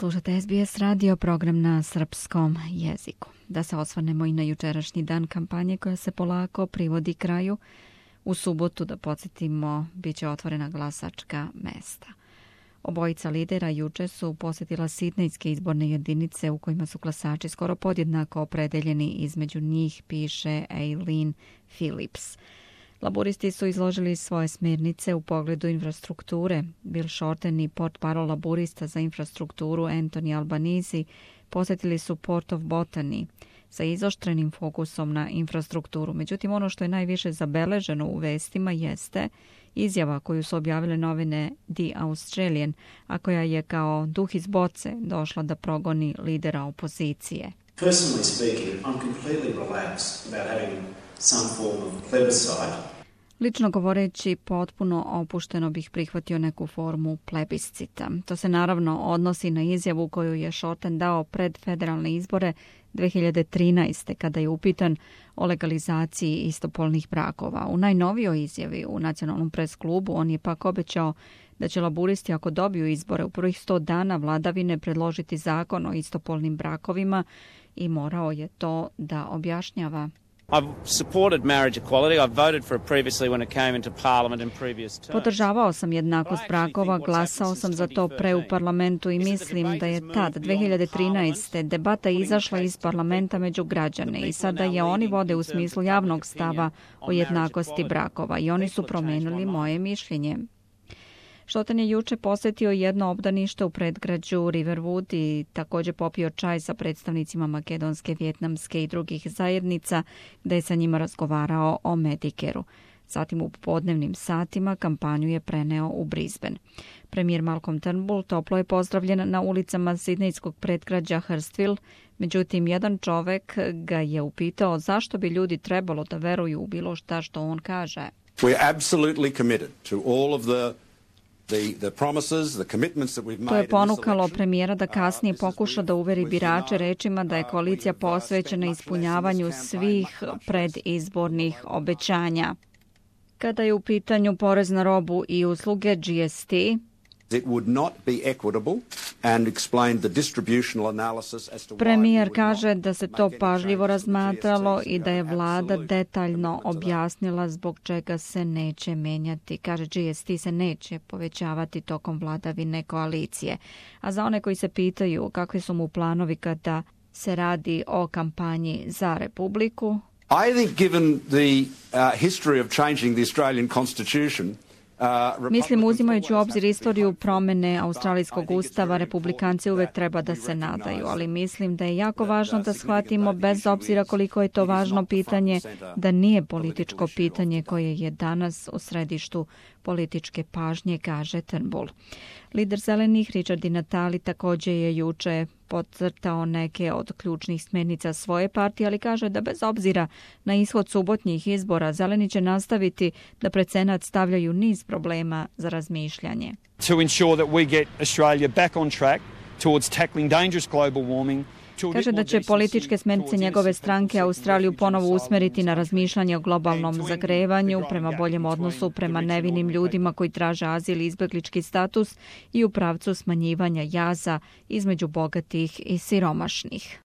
Slušate SBS radio, program na srpskom jeziku. Da se osvrnemo i na jučerašnji dan kampanje koja se polako privodi kraju. U subotu, da podsjetimo, bit će otvorena glasačka mesta. Obojica lidera juče su posjetila sidnejske izborne jedinice u kojima su glasači skoro podjednako opredeljeni. Između njih piše Aileen Phillips. Laburisti su izložili svoje smjernice u pogledu infrastrukture. Bill Shorten i portparol laburista za infrastrukturu Anthony Albanese posjetili su Port of Botany sa izoštrenim fokusom na infrastrukturu. Međutim, ono što je najviše zabeleženo u vestima jeste izjava koju su objavile novine The Australian, a koja je kao duh iz boce došla da progoni lidera opozicije. Personally speaking, I'm completely relaxed about having some form of plebiscite. Lično govoreći, potpuno opušteno bih prihvatio neku formu plebiscita. To se naravno odnosi na izjavu koju je Shorten dao pred federalne izbore 2013. kada je upitan o legalizaciji istopolnih brakova. U najnovijoj izjavi u Nacionalnom pres klubu on je pak obećao da će laburisti, ako dobiju izbore u prvih 100 dana vladavine, predložiti zakon o istopolnim brakovima i morao je to da objašnjava. Podržavao sam jednakost brakova, glasao sam za to pre u parlamentu i mislim da je tad, 2013. debata izašla iz parlamenta među građane i sada je oni vode u smislu javnog stava o jednakosti brakova i oni su promenili moje mišljenje. Shorten je juče posjetio jedno obdanište u predgrađu Riverwood i također popio čaj sa predstavnicima makedonske, vjetnamske i drugih zajednica, gdje je sa njima razgovarao o Medicare-u. Zatim u popodnevnim satima kampanju je preneo u Brisbane. Premijer Malcolm Turnbull toplo je pozdravljen na ulicama sidnejskog predgrađa Hurstville, međutim jedan čovek ga je upitao zašto bi ljudi trebalo da veruju u bilo šta što on kaže. We're absolutely committed to all of the To je ponukalo premijera da kasnije pokuša da uveri birače rečima da je koalicija posvećena ispunjavanju svih predizbornih obećanja. Kada je u pitanju porez na robu i usluge GST, premijer kaže da se to pažljivo razmatralo i da je vlada detaljno objasnila zbog čega se neće menjati. Kaže, GST se neće povećavati tokom vladavine koalicije. A za one koji se pitaju kakvi su mu planovi kada se radi o kampanji za Republiku, I think given the history of changing the Australian Constitution, mislim, uzimajući u obzir istoriju promjene australijskog ustava, republikanci uvek treba da se nadaju, ali mislim da je jako važno da shvatimo, bez obzira koliko je to važno pitanje, da nije političko pitanje koje je danas u središtu političke pažnje, kaže Turnbull. Lider zelenih Richard Di Natale također je juče podcrtao neke od ključnih smjernica svoje partije, ali kaže da bez obzira na ishod subotnjih izbora, zeleni će nastaviti da pred senat stavljaju niz problema za razmišljanje. To ensure that we get Australia back on track towards tackling dangerous global warming. Kaže da će političke smjernice njegove stranke Australiju ponovo usmeriti na razmišljanje o globalnom zagrevanju, prema boljem odnosu prema nevinim ljudima koji traže azil i izbjeglički status i u pravcu smanjivanja jaza između bogatih i siromašnih.